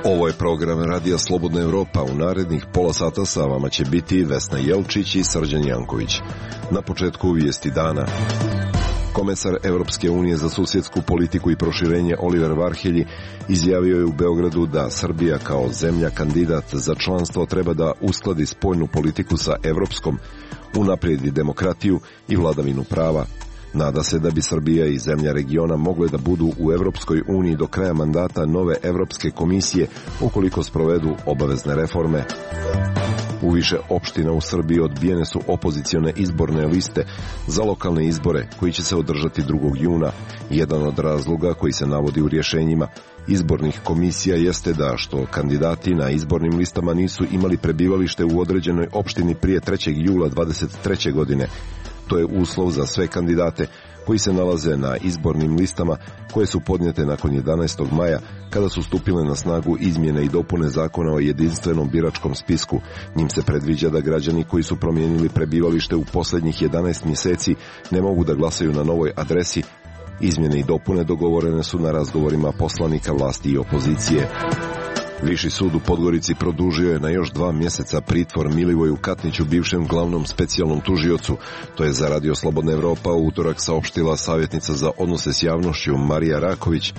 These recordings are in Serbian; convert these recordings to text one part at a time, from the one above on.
Ovo je program Radija Slobodna Evropa. U narednih pola sata sa vama će biti Vesna Jelčić i Srđan Janković. Na početku vijesti dana. Komesar Evropske unije za susjedsku politiku i proširenje Oliver Varhelji izjavio je u Beogradu da Srbija kao zemlja kandidat za članstvo treba da uskladi spoljnu politiku sa evropskom, unaprijedi demokratiju i vladavinu prava. Nada se da bi Srbija i zemlja regiona mogle da budu u Evropskoj uniji do kraja mandata nove Evropske komisije ukoliko sprovedu obavezne reforme. U više opština u Srbiji odbijene su opozicione izborne liste za lokalne izbore koji će se održati 2. juna. Jedan od razloga koji se navodi u rješenjima izbornih komisija jeste da što kandidati na izbornim listama nisu imali prebivalište u određenoj opštini prije 3. jula 2023. godine. To je uslov za sve kandidate koji se nalaze na izbornim listama koje su podnijete nakon 11. maja kada su stupile na snagu izmjene i dopune zakona o jedinstvenom biračkom spisku. Njim se predviđa da građani koji su promijenili prebivalište u posljednjih 11 mjeseci ne mogu da glasaju na novoj adresi. Izmjene i dopune dogovorene su na razgovorima poslanika vlasti i opozicije. Viši sud u Podgorici produžio je na još 2 mjeseca pritvor Milivoju Katniću, bivšem glavnom specijalnom tužiocu. To je za Radio Slobodna Evropa u utorak saopštila savjetnica za odnose s javnošću Marija Raković.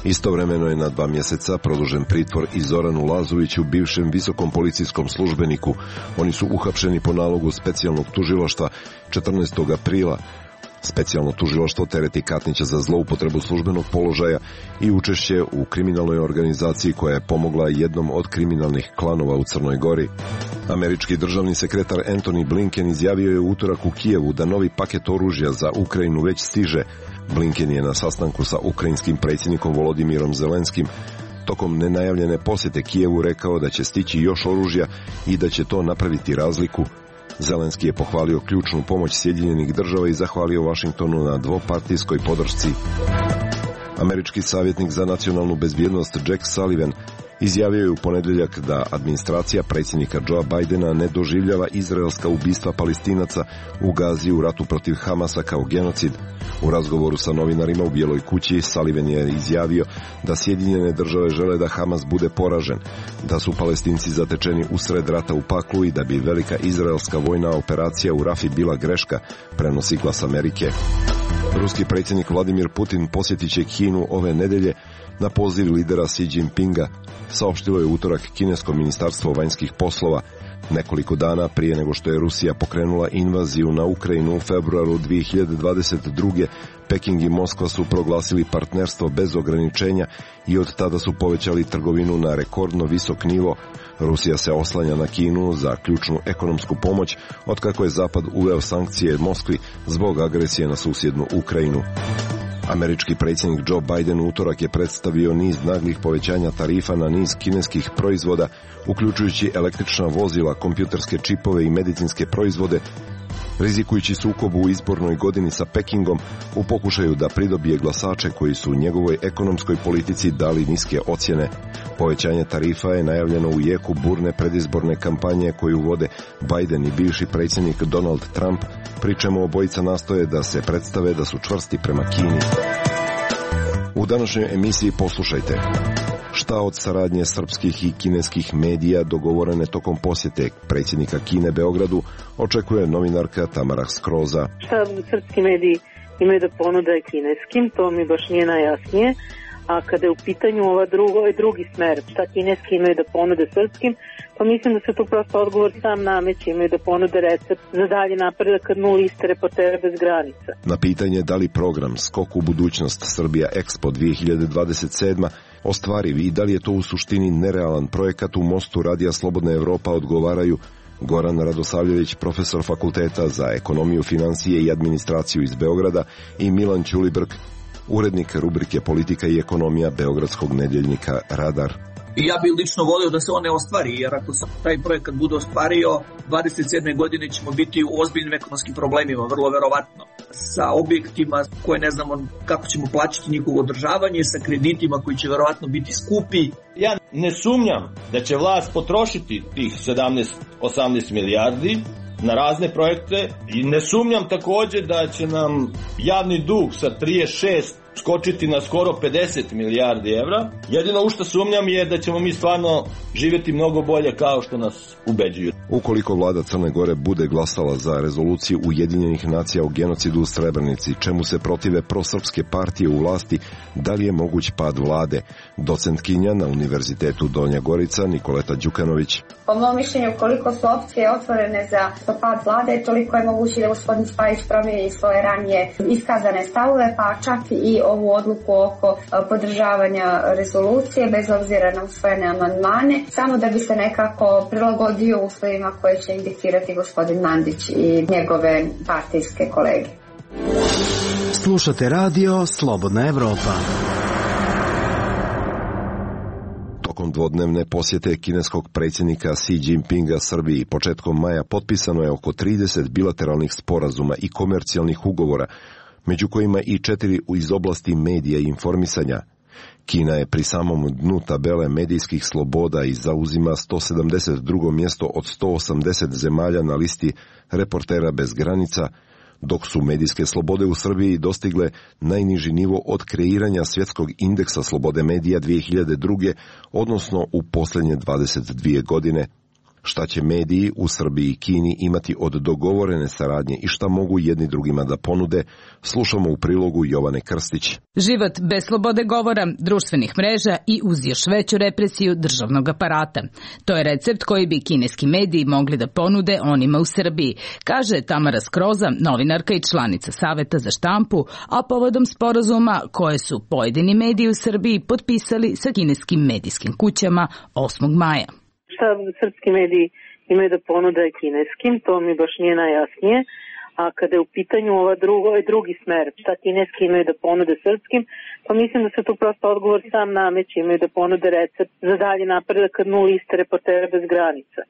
Istovremeno je na 2 mjeseca produžen pritvor i Zoranu Lazoviću, bivšem visokom policijskom službeniku. Oni su uhapšeni po nalogu specijalnog tužilaštva 14. aprila. Specijalno tužilaštvo tereti Katnića za zloupotrebu službenog položaja i učešće u kriminalnoj organizaciji koja je pomogla jednom od kriminalnih klanova u Crnoj Gori. Američki državni sekretar Antony Blinken izjavio je u utorak u Kijevu da novi paket oružja za Ukrajinu već stiže. Blinken je na sastanku sa ukrajinskim predsjednikom Volodimirom Zelenskim tokom nenajavljene posjete Kijevu rekao da će stići još oružja i da će to napraviti razliku. Zelenski je pohvalio ključnu pomoć Sjedinjenih država i zahvalio Washingtonu na dvopartijskoj podršci. Američki savjetnik za nacionalnu bezbjednost Jack Sullivan izjavio je u ponedjeljak da administracija predsjednika Joea Bidena ne doživljava izraelska ubistva Palestinaca u Gazi u ratu protiv Hamasa kao genocid. U razgovoru sa novinarima u Bijeloj kući Sullivan je izjavio da Sjedinjene države žele da Hamas bude poražen, da su Palestinci zatečeni usred rata u paklu i da bi velika izraelska vojna operacija u Rafi bila greška, prenosi Glas Amerike. Ruski predsjednik Vladimir Putin posjetit će Kinu ove nedelje na poziv lidera Xi Jinpinga, saopštilo je utorak kinesko ministarstvo vanjskih poslova. Nekoliko dana prije nego što je Rusija pokrenula invaziju na Ukrajinu u februaru 2022. Peking i Moskva su proglasili partnerstvo bez ograničenja i od tada su povećali trgovinu na rekordno visok nivo. Rusija se oslanja na Kinu za ključnu ekonomsku pomoć otkako je Zapad uveo sankcije Moskvi zbog agresije na susjednu Ukrajinu. Američki predsjednik Joe Biden u utorak je predstavio niz naglih povećanja tarifa na niz kineskih proizvoda, uključujući električna vozila, kompjuterske čipove i medicinske proizvode, rizikujući sukob u izbornoj godini sa Pekingom u pokušaju da pridobije glasače koji su njegovoj ekonomskoj politici dali niske ocjene. Povećanje tarifa je najavljeno u jeku burne predizborne kampanje koju vode Biden i bivši predsjednik Donald Trump, pri čemu obojica nastoje da se predstave da su čvrsti prema Kini. U današnjoj emisiji poslušajte šta od saradnje srpskih i kineskih medija dogovorene tokom posjete predsjednika Kine Beogradu očekuje novinarka Tamara Skroza. Šta srpski mediji imaju da ponude kineskim, to mi baš nije najjasnije. A kada je u pitanju ovaj drugi smer, šta kineski imaju da ponude srpskim, pa mislim da se tu prosto odgovor sam nameće, imaju da ponude recept za dalje napredak kad nula liste reportera bez granica. Na pitanje da li program Skok u budućnost Srbija Expo 2027 ostvariv i da li je to u suštini nerealan projekat, u Mostu Radija Slobodna Evropa odgovaraju Goran Radosavljević, profesor fakulteta za ekonomiju, financije i administraciju iz Beograda, i Milan Ćulibrk, urednik rubrike Politika i ekonomija beogradskog nedjeljnika Radar. I ja bih lično volio da se on ne ostvari, jer ako se taj projekat bude ostvario, 27. godine ćemo biti u ozbiljnim ekonomskim problemima, vrlo verovatno. Sa objektima koje ne znamo kako ćemo plaćati njihovo održavanje, sa kreditima koji će verovatno biti skupi. Ja ne sumnjam da će vlast potrošiti tih 17-18 milijardi, na razne projekte i ne sumnjam takođe da će nam javni dug sa 36 skočiti na skoro 50 milijardi evra. Jedino u što sumnjam je da ćemo mi stvarno živjeti mnogo bolje kao što nas ubeđuju. Ukoliko vlada Crne Gore bude glasala za rezoluciju Ujedinjenih nacija o genocidu u Srebrenici, čemu se protive prosrpske partije u vlasti, da li je moguć pad vlade? Docentkinja na Univerzitetu Donja Gorica Nikoleta Đukanović. Po mom mišljenju, koliko su opcije otvorene za pad vlade, toliko je moguće da gospodin Spajić promijeni svoje ranije iskazane stavove, pa čak i ovu odluku oko podržavanja rezolucije, bez obzira na usvojene amandmane, samo da bi se nekako prilagodio uslovima koje će indikirati gospodin Mandić i njegove partijske kolege. Slušate radio Slobodna Evropa. Tokom dvodnevne posjete kineskog predsjednika Xi Jinpinga Srbiji početkom maja potpisano je oko 30 bilateralnih sporazuma i komercijalnih ugovora, među kojima i 4 iz oblasti medija i informisanja. Kina je pri samom dnu tabele medijskih sloboda i zauzima 172. mjesto od 180 zemalja na listi Reportera bez granica, dok su medijske slobode u Srbiji dostigle najniži nivo od kreiranja svjetskog indeksa slobode medija 2002. odnosno u posljednje 22 godine. Šta će mediji u Srbiji i Kini imati od dogovorene saradnje i šta mogu jedni drugima da ponude, slušamo u prilogu Jovane Krstić. Život bez slobode govora, društvenih mreža i uz još veću represiju državnog aparata. To je recept koji bi kineski mediji mogli da ponude onima u Srbiji, kaže Tamara Skroza, novinarka i članica Saveta za štampu, a povodom sporazuma koje su pojedini mediji u Srbiji potpisali sa kineskim medijskim kućama 8. maja. Šta srpski mediji imaju da ponude kineskim, to mi baš nije najjasnije. A kada je u pitanju drugi smer, šta kineski imaju da ponude srpskim, pa mislim da se tu prosto odgovor sam nameće, imaju da ponude recept za dalje napredak kad liste Reportera bez granica.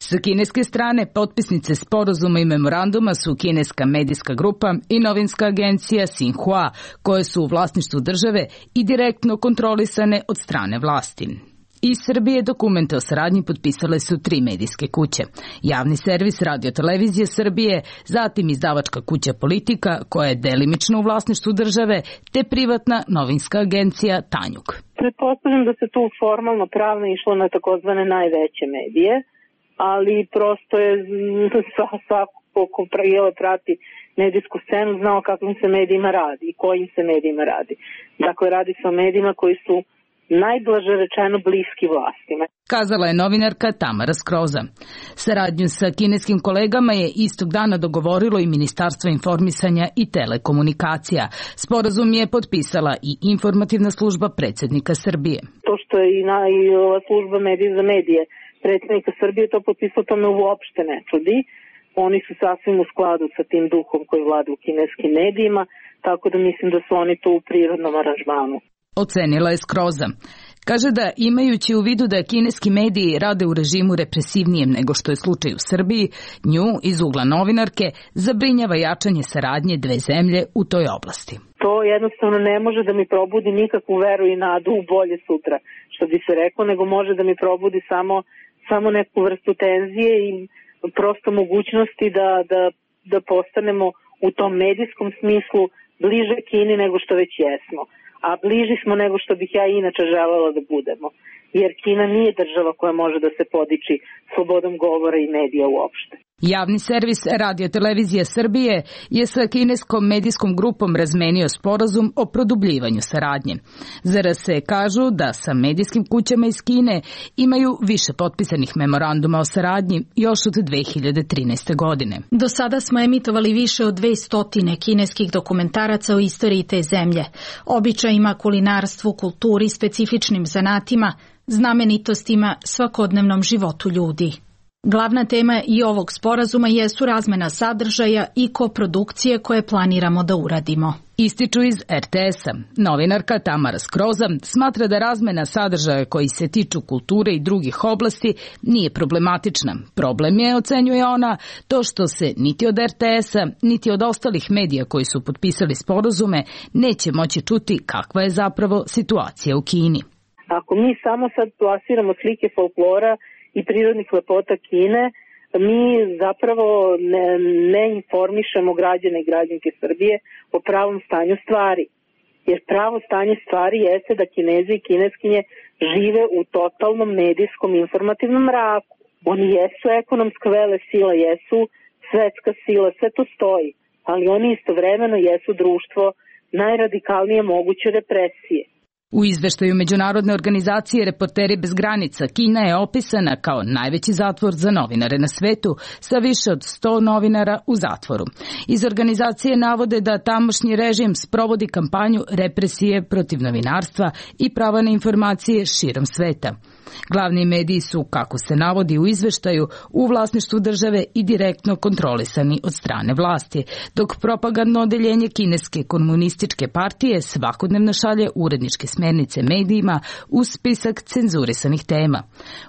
Sa kineske strane potpisnice sporazuma i memoranduma su kineska medijska grupa i novinska agencija Xinhua, koje su u vlasništvu države i direktno kontrolisane od strane vlasti. Iz Srbije dokumente o saradnji potpisale su 3 medijske kuće. Javni servis Radio-televizije Srbije, zatim izdavačka kuća Politika, koja je delimično u vlasništvu države, te privatna novinska agencija Tanjug. Pretpostavljam da se tu formalno pravno išlo na takozvane najveće medije, ali prosto je svako ko prati medijsku scenu znao kakvim se medijima radi i kojim se medijima radi. Dakle, radi se o medijima koji su najblaže rečeno bliski vlastima. Kazala je novinarka Tamara Skroza. Saradnju sa kineskim kolegama je istog dana dogovorilo i Ministarstvo informisanja i telekomunikacija. Sporazum je potpisala i informativna služba predsjednika Srbije. To što je i ova služba medije za medije predsjednika Srbije to potpisao, to me uopšte ne čudi. Oni su sasvim u skladu sa tim duhom koji vlada u kineskim medijima, tako da mislim da su oni tu u prirodnom aranžmanu. Ocenila je Skroza. Kaže da imajući u vidu da kineski mediji rade u režimu represivnijem nego što je slučaj u Srbiji, nju iz ugla novinarke zabrinjava jačanje saradnje dve zemlje u toj oblasti. To jednostavno ne može da mi probudi nikakvu veru i nadu u bolje sutra, što bi se reklo, nego može da mi probudi samo neku vrstu tenzije i prosto mogućnosti da postanemo u tom medijskom smislu bliže Kini nego što već jesmo. A bliži smo nego što bih ja inače želela da budemo. Jer Kina nije država koja može da se podiči slobodom govora i medija uopšte. Javni servis Radio-televizija Srbije je sa kineskom medijskom grupom razmenio sporazum o produbljivanju saradnje. Za RS kažu da sa medijskim kućama iz Kine imaju više potpisanih memoranduma o saradnji još od 2013. godine. Do sada smo emitovali više od 200 kineskih dokumentaraca o istoriji te zemlje, običajima, kulinarstvu, kulturi, specifičnim zanatima, znamenitostima, svakodnevnom životu ljudi. Glavna tema i ovog sporazuma jesu razmena sadržaja i koprodukcije koje planiramo da uradimo. Ističu iz RTS-a. Novinarka Tamara Skroza smatra da razmena sadržaja koji se tiču kulture i drugih oblasti nije problematična. Problem je, ocenjuje ona, to što se niti od RTS-a, niti od ostalih medija koji su potpisali sporazume neće moći čuti kakva je zapravo situacija u Kini. Ako mi samo sad plasiramo slike folklora i prirodnih lepota Kine, mi zapravo ne informišemo građane i građanke Srbije o pravom stanju stvari. Jer pravo stanje stvari jeste da Kinezi i Kineskinje žive u totalnom medijskom informativnom mraku. Oni jesu ekonomska vele sila, jesu svetska sila, sve to stoji, ali oni istovremeno jesu društvo najradikalnije moguće represije. U izveštaju Međunarodne organizacije Reporteri bez granica, Kina je opisana kao najveći zatvor za novinare na svetu, sa više od 100 novinara u zatvoru. Iz organizacije navode da tamošnji režim sprovodi kampanju represije protiv novinarstva i prava na informacije širom sveta. Glavni mediji su, kako se navodi u izveštaju, u vlasništvu države i direktno kontrolisani od strane vlasti, dok propagandno odeljenje Kineske komunističke partije svakodnevno šalje uredničke smernice medijima uz spisak cenzurisanih tema.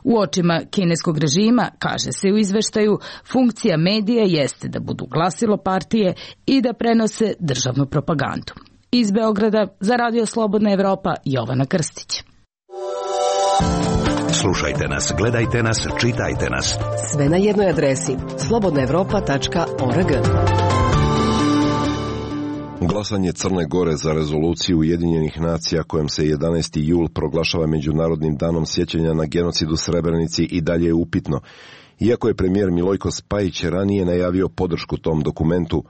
U očima kineskog režima, kaže se u izveštaju, funkcija medija jeste da budu glasilo partije i da prenose državnu propagandu. Iz Beograda za Radio Slobodna Evropa, Jovana Krstić. Slušajte nas, gledajte nas, čitajte nas. Sve na jednoj adresi slobodnaevropa.org. Glasanje Crne Gore za rezoluciju Ujedinjenih nacija kojom se 11. jul proglašava Međunarodnim danom sjećanja na genocid u Srebrenici i dalje je upitno. Iako je premijer Milojko Spajić ranije najavio podršku tom dokumentu,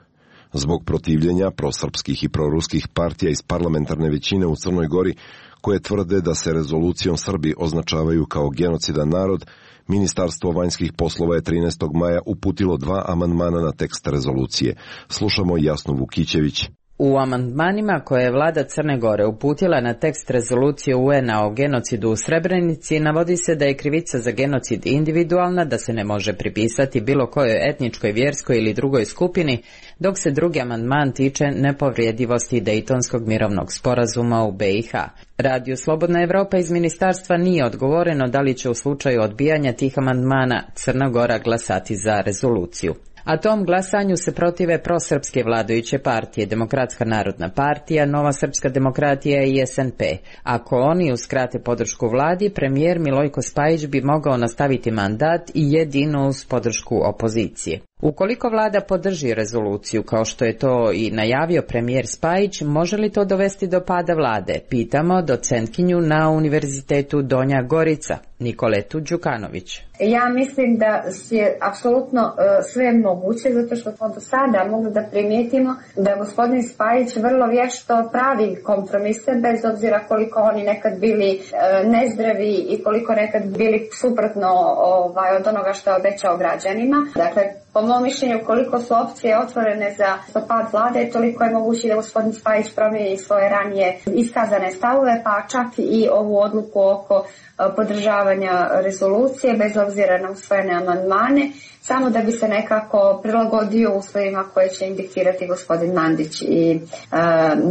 zbog protivljenja prosrpskih i proruskih partija iz parlamentarne većine u Crnoj Gori, koje tvrde da se rezolucijom Srbi označavaju kao genocidan narod, Ministarstvo vanjskih poslova je 13. maja uputilo 2 amandmana na tekst rezolucije. Slušamo Jasnu Vukićević. U amandmanima koje je vlada Crne Gore uputila na tekst rezolucije UN-a o genocidu u Srebrenici navodi se da je krivica za genocid individualna, da se ne može pripisati bilo kojoj etničkoj, vjerskoj ili drugoj skupini, dok se drugi amandman tiče nepovredivosti Dejtonskog mirovnog sporazuma u BiH. Radio Slobodna Evropa iz ministarstva nije odgovoreno da li će u slučaju odbijanja tih amandmana Crna Gora glasati za rezoluciju. A tom glasanju se protive prosrpske vladajuće partije, Demokratska narodna partija, Nova srpska demokratija i SNP. Ako oni uskrate podršku vladi, premijer Milojko Spajić bi mogao nastaviti mandat i jedino uz podršku opozicije. Ukoliko vlada podrži rezoluciju, kao što je to i najavio premijer Spajić, može li to dovesti do pada vlade? Pitamo docentkinju na Univerzitetu Donja Gorica, Nikoletu Đukanović. Ja mislim da je apsolutno sve moguće, zato što smo do sada mogli da primijetimo da gospodin Spajić vrlo vješto pravi kompromise, bez obzira koliko oni nekad bili nezdravi i koliko nekad bili suprotno od onoga što je obećao građanima. Dakle, po mom mišljenju, koliko su opcije otvorene za pad vlade, toliko je moguće da gospodin Spajić promijeni svoje ranije iskazane stavove, pa čak i ovu odluku oko podržavanja rezolucije, bez obzira na usvojene amandmane, samo da bi se nekako prilagodio uslovima koje će indikirati gospodin Mandić i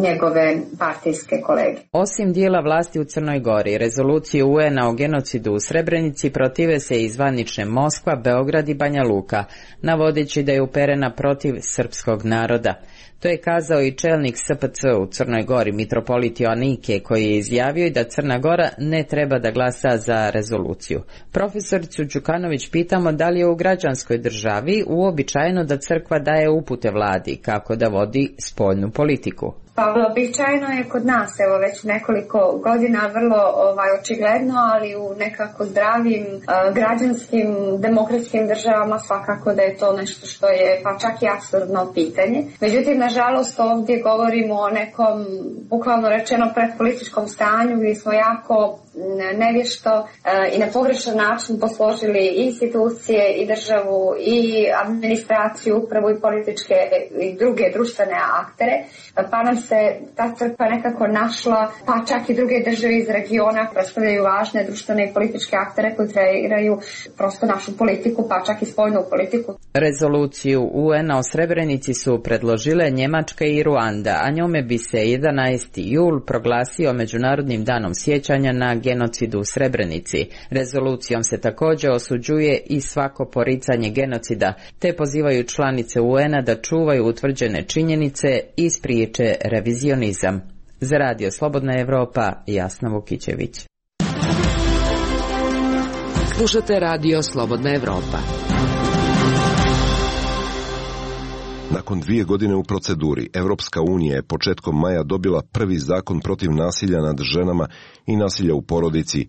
njegove partijske kolege. Osim dijela vlasti u Crnoj Gori, rezoluciju UN-a o genocidu u Srebrenici protive se i zvanične Moskva, Beograd i Banja Luka, navodeći da je uperena protiv srpskog naroda. To je kazao i čelnik SPC u Crnoj Gori, mitropolit Joanike, koji je izjavio i da Crna Gora ne treba da glasa za rezoluciju. Profesoricu Đukanović pitamo da li je u građanskoj državi uobičajeno da crkva daje upute vladi kako da vodi spoljnu politiku. Pa običajno je kod nas, evo već nekoliko godina, vrlo očigledno, ali u nekako zdravim, građanskim, demokratskim državama svakako da je to nešto što je pa čak i apsurdno pitanje. Međutim, nažalost, ovdje govorimo o nekom, bukvalno rečeno, predpolitičkom stanju gdje smo jako nevješto i na pogrešan način posložili institucije i državu i administraciju, upravu i političke i druge društvene aktere, pa nam se ta crkva nekako našla, pa čak i druge države iz regiona predstavljaju važne društvene i političke aktere koji kreiraju prosto našu politiku, pa čak i spoljnu politiku. Rezoluciju UN-a o Srebrenici su predložile Njemačka i Ruanda, a njome bi se 11. jul proglasio Međunarodnim danom sjećanja na genocidu u Srebrenici. Rezolucijom se također osuđuje i svako poricanje genocida, te pozivaju članice UN-a da čuvaju utvrđene činjenice i spriječe revizionizam. Za Radio Slobodna Evropa, Jasna Vukićević. Slušate Radio Slobodna Evropa. Nakon 2 godine u proceduri, Evropska unija je početkom maja dobila prvi zakon protiv nasilja nad ženama i nasilja u porodici.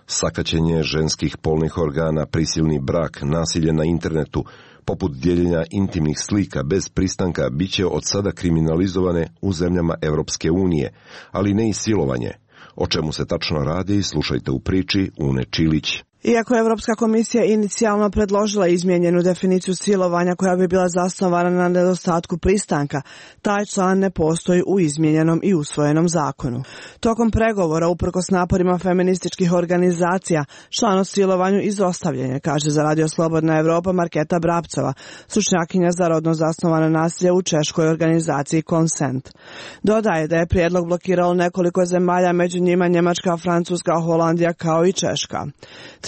Sakaćenje ženskih polnih organa, prisilni brak, nasilje na internetu, poput dijeljenja intimnih slika bez pristanka, bit će od sada kriminalizovane u zemljama Evropske unije, ali ne i silovanje. O čemu se tačno radi, slušajte u priči Une Čilić. Iako je Evropska komisija inicijalno predložila izmijenjenu definiciju silovanja koja bi bila zasnovana na nedostatku pristanka, taj član ne postoji u izmijenjenom i usvojenom zakonu. Tokom pregovora, uprkos naporima feminističkih organizacija, član o silovanju izostavljen je, kaže za Radio Slobodna Evropa Marketa Brapcova, stručnjakinja za rodno zasnovano nasilje u češkoj organizaciji Consent. Dodaje da je prijedlog blokiralo nekoliko zemalja, među njima Njemačka, Francuska, Holandija kao i Češka.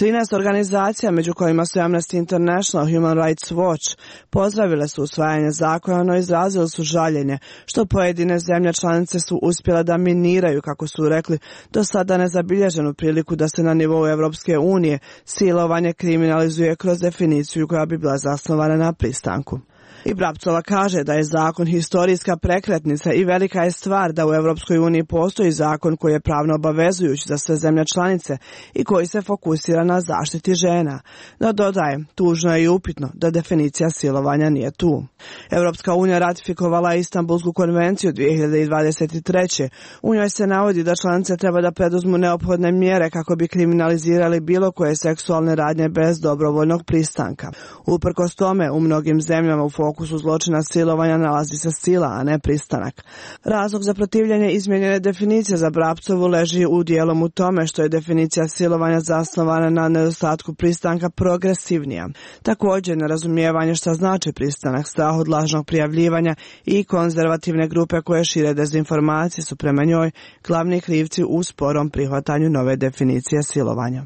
13 organizacija, među kojima su Amnesty International, Human Rights Watch, pozdravile su usvajanje zakona, no izrazili su žaljenje što pojedine zemlje članice su uspjele da miniraju, kako su rekli, do sada nezabilježenu priliku da se na nivou Evropske unije silovanje kriminalizuje kroz definiciju koja bi bila zasnovana na pristanku. I Brapcova kaže da je zakon historijska prekretnica i velika je stvar da u Evropskoj uniji postoji zakon koji je pravno obavezujući za sve zemlje članice i koji se fokusira na zaštiti žena. No dodaje, tužno je i upitno da definicija silovanja nije tu. Evropska unija ratifikovala Istanbulsku konvenciju 2023. U njoj se navodi da članice treba da preduzmu neophodne mjere kako bi kriminalizirali bilo koje seksualne radnje bez dobrovoljnog pristanka. Uprkos tome, u mnogim zemljama u fokusu zločina silovanja nalazi se sila, a ne pristanak. Razlog za protivljenje izmijenjene definicije za Brapcovu leži u dijelom u tome što je definicija silovanja zasnovana na nedostatku pristanka progresivnija. Također, nerazumijevanje šta znači pristanak, strah od lažnog prijavljivanja i konzervativne grupe koje šire dezinformacije su prema njoj glavni krivci u sporom prihvatanju nove definicije silovanja.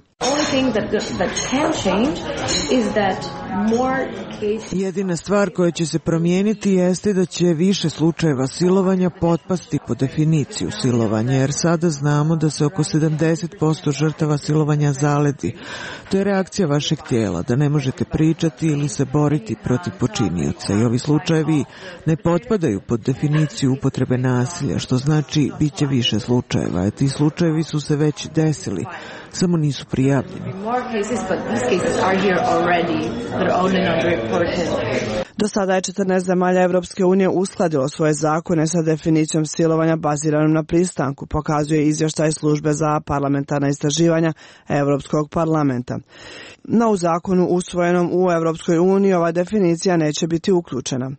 Jedina stvar koja će se promijeniti jeste da će više slučajeva silovanja potpasti po definiciju silovanja, jer sada znamo da se oko 70% žrtava silovanja zaledi. To je reakcija vašeg tijela, da ne možete pričati ili se boriti protiv počinioca i ovi slučajevi ne potpadaju pod definiciju upotrebe nasilja, što znači bit će više slučajeva. Ti slučajevi su se već desili, samo nisu prijavljeni. Do sada je 14 zemalja Evropske unije uskladilo svoje zakone sa definicijom silovanja baziranom na pristanku, pokazuje izvještaj službe za parlamentarna istraživanja Evropskog parlamenta. No u zakonu usvojenom u Evropskoj uniji ova definicija neće biti uključena.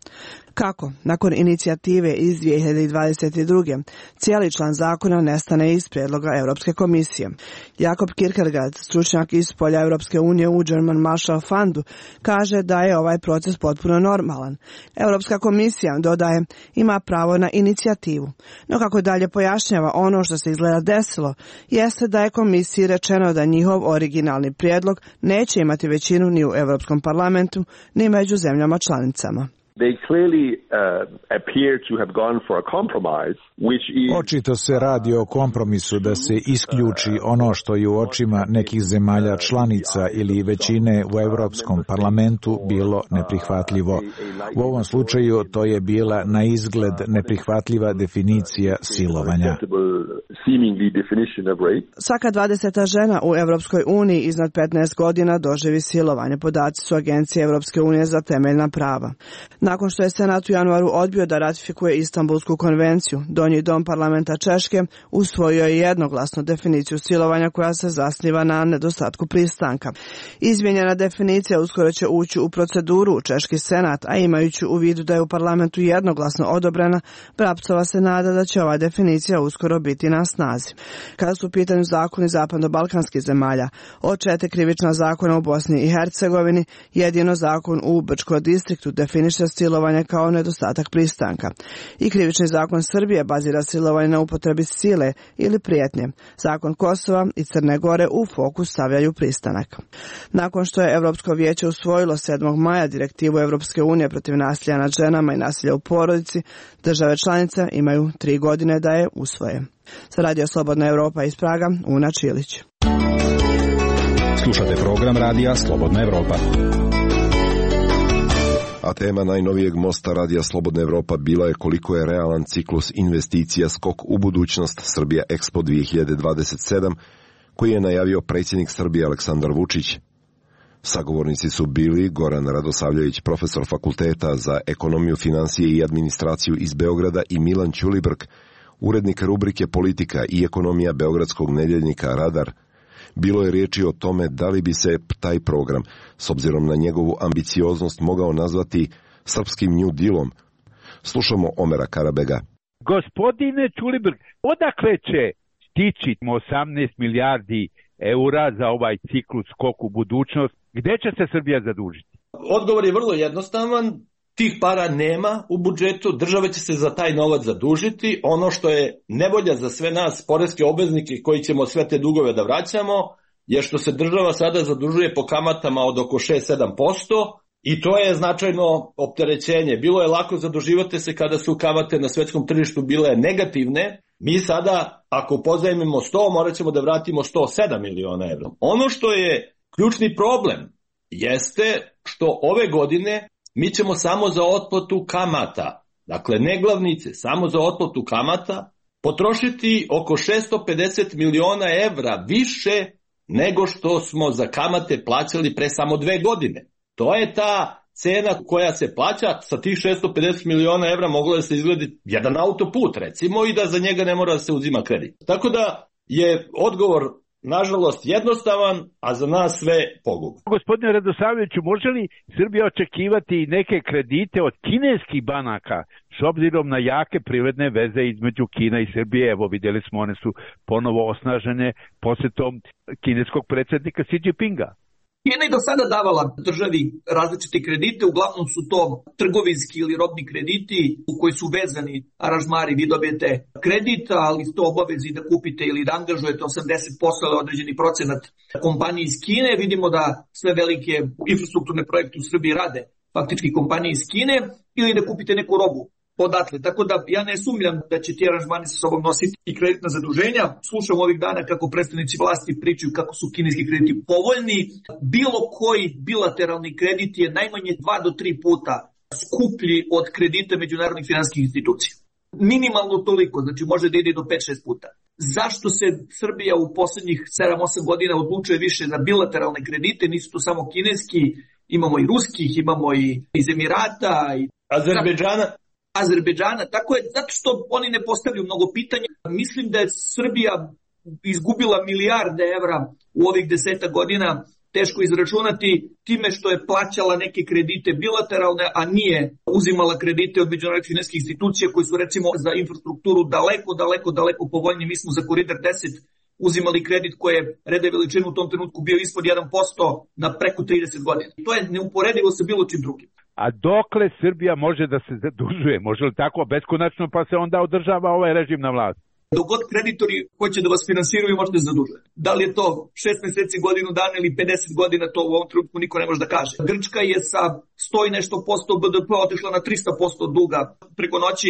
Kako? Nakon inicijative iz 2022. cijeli član zakona nestane iz prijedloga Europske komisije. Jakob Kierkegaard, stručnjak iz polja Europske unije u German Marshall Fundu, kaže da je ovaj proces potpuno normalan. Europska komisija, dodaje, ima pravo na inicijativu. No kako dalje pojašnjava, ono što se izgleda desilo jeste da je komisiji rečeno da njihov originalni prijedlog neće imati većinu ni u Europskom parlamentu ni među zemljama članicama. They clearly appear to have gone for a compromise, which is... Očito se radi o kompromisu da se isključi ono što je u očima nekih zemalja članica ili većine u Europskom parlamentu bilo neprihvatljivo. U ovom slučaju to je bila na izgled neprihvatljiva definicija silovanja. Svaka 20. žena u Europskoj uniji iznad 15 godina doživi silovanje. Podaci su Agencije Europske unije za temeljna prava. Nakon što je Senat u januaru odbio da ratifikuje Istanbulsku konvenciju, Donji dom parlamenta Češke usvojio je jednoglasno definiciju silovanja koja se zasniva na nedostatku pristanka. Izmijenjena definicija uskoro će ući u proceduru u Češki senat, a imajući u vidu da je u parlamentu jednoglasno odobrena, Brapcova se nada da će ova definicija uskoro biti na snazi. Kada su u pitanju zakoni zapadno-balkanskih zemalja, od 4 krivična zakona u Bosni i Hercegovini, jedino zakon u Brčkom distriktu definiše silovanje kao nedostatak pristanka. I krivični zakon Srbije bazira silovanje na upotrebi sile ili prijetnje. Zakon Kosova i Crne Gore u fokus stavljaju pristanak. Nakon što je Europsko vijeće usvojilo 7. maja direktivu Europske unije protiv nasilja nad ženama i nasilja u porodici, države članice imaju 3 godine da je usvoje. Za Radio Slobodna Evropa iz Praga, Una Čilić. Slušate program Radija Slobodna Evropa. A tema najnovijeg mosta Radija Slobodna Evropa bila je koliko je realan ciklus investicija skok u budućnost Srbija Expo 2027, koji je najavio predsjednik Srbije Aleksandar Vučić. Sagovornici su bili Goran Radosavljević, profesor fakulteta za ekonomiju, finansije i administraciju iz Beograda, i Milan Ćulibrk, urednik rubrike Politika i ekonomija beogradskog nedeljnika Radar. Bilo je riječi o tome da li bi se taj program, s obzirom na njegovu ambicioznost, mogao nazvati srpskim New Dealom. Slušamo Omera Karabega. Gospodine Ćulibrk, odakle će stići 18 milijardi eura za ovaj ciklus skok u budućnost? Gde će se Srbija zadužiti? Odgovor je vrlo jednostavan. Tih para nema u budžetu, država će se za taj novac zadužiti. Ono što je nevolja za sve nas, poreske obveznike koji ćemo sve te dugove da vraćamo, je što se država sada zadužuje po kamatama od oko 6-7%, i to je značajno opterećenje. Bilo je lako zaduživati se kada su kamate na svetskom tržištu bile negativne. Mi sada, ako pozajmimo 100, morat ćemo da vratimo 107 miliona evra. Ono što je ključni problem jeste što ove godine mi ćemo samo za otplatu kamata, dakle ne glavnice, samo za otplatu kamata, potrošiti oko 650 miliona evra više nego što smo za kamate plaćali pre samo 2 godine. To je ta cena koja se plaća. Sa tih 650 miliona evra moglo da se izgledi jedan autoput, recimo, i da za njega ne mora da se uzima kredit. Tako da je odgovor, nažalost, jednostavan, a za nas sve pogubno. Gospodine Radosavljeviću, može li Srbija očekivati neke kredite od kineskih banaka s obzirom na jake privredne veze između Kina i Srbije? Evo, vidjeli smo, one su ponovo osnažene posjetom kineskog predsjednika Xi Jinpinga. Kina je do sada davala državi različite kredite, uglavnom su to trgovinski ili robni krediti u koji su vezani aranžmari. Vi dobijete kredit, ali to obavezi da kupite ili da angažujete 80% ili određeni procenat kompanije iz Kine. Vidimo da sve velike infrastrukturne projekte u Srbiji rade faktički kompanije iz Kine, ili da kupite neku robu odatle. Tako da ja ne sumnjam da će ti aranžmani sa sobom nositi i kreditna zaduženja. Slušam ovih dana kako predstavnici vlasti pričaju kako su kineski krediti povoljni. Bilo koji bilateralni kredit je najmanje 2 do 3 puta skuplji od kredita međunarodnih finansijskih institucija. Minimalno toliko, znači može da ide do 5-6 puta. Zašto se Srbija u poslednjih 7-8 godina odlučuje više za bilateralne kredite? Nisu to samo kineski, imamo i ruskih, imamo i iz Emirata, i Azerbejdžana, tako je, zato što oni ne postavljaju mnogo pitanja. Mislim da je Srbija izgubila milijarde evra u ovih 10 godina, teško izračunati, time što je plaćala neke kredite bilateralne, a nije uzimala kredite od međunarodnih finansijskih institucija koji su recimo za infrastrukturu daleko povoljniji. Mi smo za Koridor 10 uzimali kredit koji je rede veličinu u tom trenutku bio ispod 1% na preko 30 godina. To je neuporedivo sa bilo čim drugim. A dokle Srbija može da se zadužuje? Može li tako beskonačno pa se onda održava ovaj režim na vlasti? Dok god kreditori hoće da vas finansiraju, možete se zadužiti. Da li je to 6 meseci, godinu dana ili 50 godina, to u ovom trenutku niko ne može da kaže. Grčka je sa 100 i nešto posto BDP otišla na 300% duga preko noći,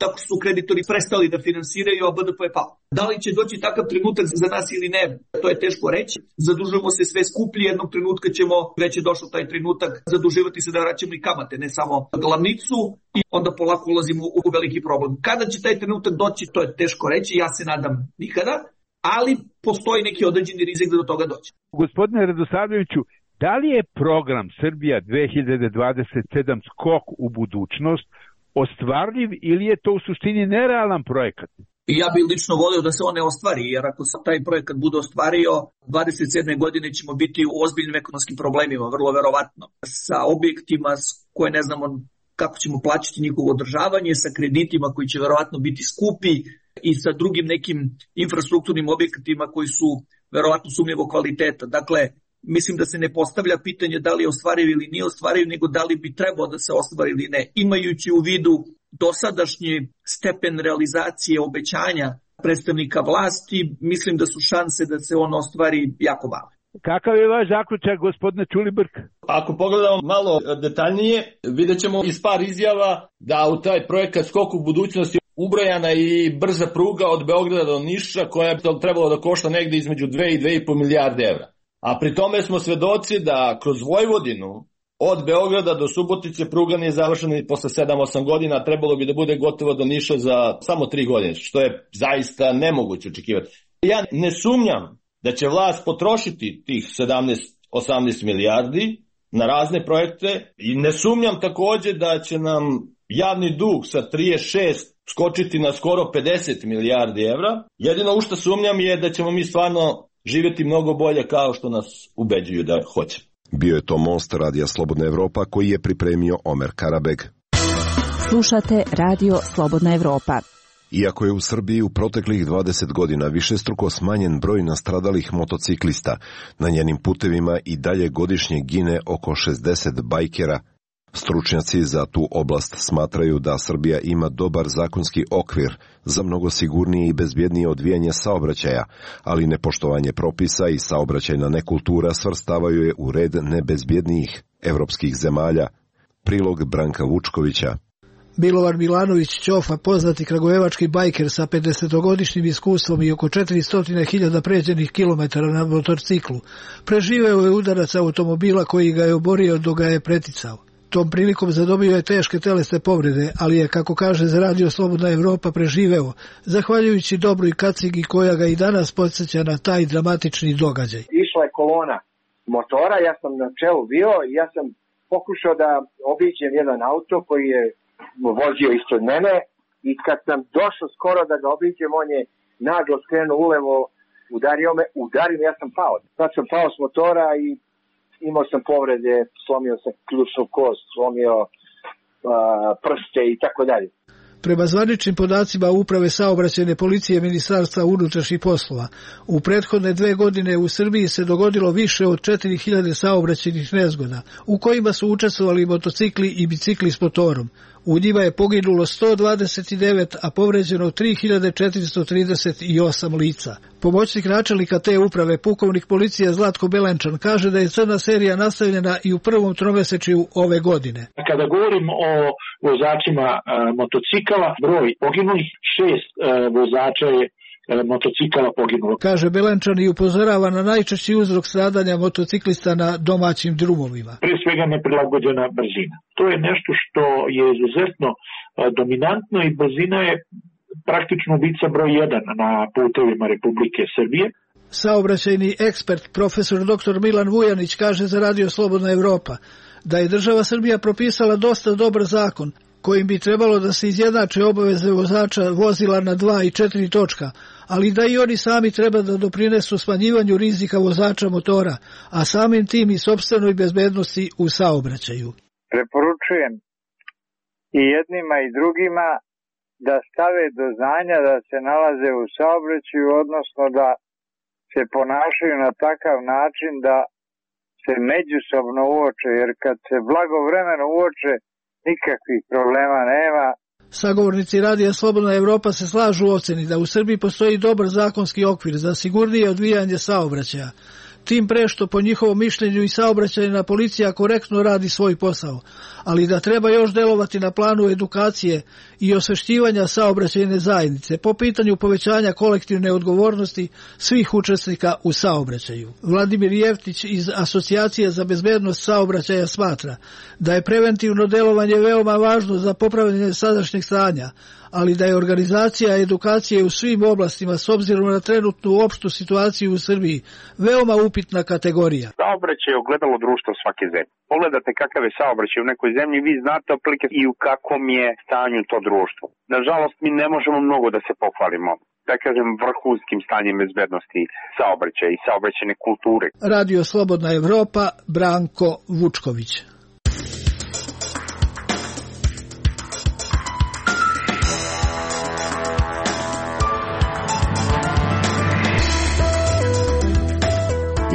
tako su kreditori prestali da finansiraju, a BDP je pao. Da li će doći takav trenutak za nas ili ne, to je teško reći. Zadužujemo se sve skuplji, jednog trenutka ćemo, već je došao taj trenutak, zaduživati se da vraćamo i kamate, ne samo glavnicu, i onda polako ulazimo u veliki problem. Kada će taj trenutak doći, to je teško reći, ja se nadam nikada, ali postoji neki određeni rizik da do toga doći. Gospodine Radosavljeviću, da li je program Srbija 2027 skok u budućnost ostvarljiv ili je to u suštini nerealan projekat? Ja bih lično volio da se on ne ostvari, jer ako se taj projekat bude ostvario, 27. godine ćemo biti u ozbiljnim ekonomskim problemima, vrlo verovatno. Sa objektima koje ne znamo kako ćemo plaćati njihovo održavanje, sa kreditima koji će verovatno biti skupi i sa drugim nekim infrastrukturnim objektima koji su verovatno sumnjivog kvaliteta. Dakle, mislim da se ne postavlja pitanje da li je ostvariv ili nije ostvariv, nego da li bi trebao da se ostvari ili ne. Imajući u vidu dosadašnji stepen realizacije obećanja predstavnika vlasti, mislim da su šanse da se on ostvari jako male. Kakav je vaš zaključak, gospodine Ćulibrk? Ako pogledamo malo detaljnije, vidjet ćemo iz par izjava da u taj projekat Skok u budućnosti ubrojana i brza pruga od Beograda do Niša, koja je trebalo da košta negde između 2 i 2,5 milijarde evra. A pri tome smo svedoci da kroz Vojvodinu Od Beograda do Subotice pruga nije završena i posle 7-8 godina, trebalo bi da bude gotovo do Niša za samo 3 godine, što je zaista nemoguće očekivati. Ja ne sumnjam da će vlast potrošiti tih 17-18 milijardi na razne projekte i ne sumnjam takođe da će nam javni dug sa 36 skočiti na skoro 50 milijardi evra. Jedino u što sumnjam je da ćemo mi stvarno živjeti mnogo bolje kao što nas ubeđuju da hoće. Bio je to Most Radija Slobodna Evropa koji je pripremio Omer Karabeg. Slušate Radio Slobodna Evropa. Iako je u Srbiji u proteklih 20 godina višestruko smanjen broj nastradalih motociklista, na njenim putevima i dalje godišnje gine oko 60 bajkera. Stručnjaci za tu oblast smatraju da Srbija ima dobar zakonski okvir za mnogo sigurnije i bezbjednije odvijanje saobraćaja, ali nepoštovanje propisa i saobraćajna nekultura svrstavaju je u red nebezbjednijih evropskih zemalja. Prilog Branka Vučkovića. Milovan Milanović Ćofa, poznati kragujevački bajker sa 50-godišnjim iskustvom i oko 400.000 pređenih kilometara na motorciklu, preživeo je udarac automobila koji ga je oborio dok ga je preticao. Tom prilikom zadobio je teške telesne povrede, ali je, kako kaže za Radio Slobodna Evropa, preživeo, zahvaljujući dobroj kacigi koja ga i danas podsjeća na taj dramatični događaj. Išla je kolona motora, ja sam na čelu bio i ja sam pokušao da obiđem jedan auto koji je vozio ispred mene i kad sam došao skoro da ga obiđem, on je naglo skrenuo ulevo, udario me, ja sam pao. Sad sam pao s motora i imao sam povrede, slomio sam ključnu kost, slomio prste i tako dalje. Prema zvaničnim podacima Uprave saobraćajne policije Ministarstva unutrašnjih poslova, u prethodne 2 godine u Srbiji se dogodilo više od 4000 saobraćajnih nezgoda, u kojima su učestvovali motocikli i bicikli s motorom. U njima je poginulo 129, a povređeno 3438 lica. Pomoćnik načelnika te uprave, pukovnik policije Zlatko Belenčan, kaže da je crna serija nastavljena i u prvom tromesečju ove godine. Kada govorimo o vozačima motocikala, broj poginulih, 6 vozača je motocikala poginulo. Kaže Belenčan i upozorava na najčešći uzrok stradanja motociklista na domaćim drumovima. Pre svega neprilagođena brzina. To je nešto što je izuzetno dominantno i brzina je praktično ubica broj 1 na putevima Republike Srbije. Saobraćajni ekspert profesor dr. Milan Vujanić kaže za Radio Slobodna Evropa da je država Srbija propisala dosta dobar zakon kojim bi trebalo da se izjednače obaveze vozača vozila na 2 i 4 točka, ali da i oni sami treba da doprinesu smanjivanju rizika vozača motora, a samim tim i sopstvenoj bezbednosti u saobraćaju. Preporučujem i jednima i drugima da stave do znanja da se nalaze u saobraćaju, odnosno da se ponašaju na takav način da se međusobno uoče, jer kad se blagovremeno uoče, nikakvih problema nema. Sagovornici Radija Slobodna Evropa se slažu u oceni da u Srbiji postoji dobar zakonski okvir za sigurnije odvijanje saobraćaja. Tim pre što po njihovom mišljenju i saobraćajna policija korektno radi svoj posao, ali da treba još delovati na planu edukacije i osvešćivanja saobraćajne zajednice po pitanju povećanja kolektivne odgovornosti svih učesnika u saobraćaju. Vladimir Jeftić iz Asocijacije za bezbednost saobraćaja smatra da je preventivno delovanje veoma važno za popravljanje sadašnjeg stanja, ali da je organizacija edukacije u svim oblastima s obzirom na trenutnu opštu situaciju u Srbiji veoma upitna kategorija. Saobraćaj je ogledalo društva svake zemlje. Pogledate kakav je saobraćaj u nekoj zemlji, vi znate otprilike i u kakvom je stanju to društvo. Nažalost, mi ne možemo mnogo da se pohvalimo, da kažem, vrhunskim stanjem bezbednosti saobraćaja i saobraćajne kulture. Radio Slobodna Evropa, Branko Vučković.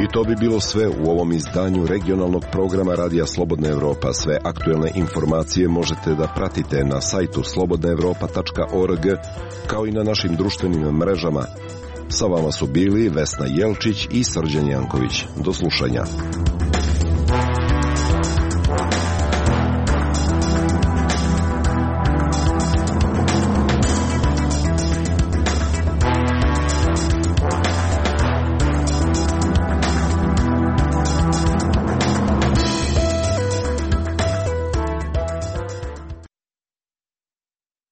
I to bi bilo sve u ovom izdanju regionalnog programa Radija Slobodna Evropa. Sve aktuelne informacije možete da pratite na sajtu slobodnaevropa.org, kao i na našim društvenim mrežama. Sa vama su bili Vesna Jelčić i Srđan Janković. Do slušanja.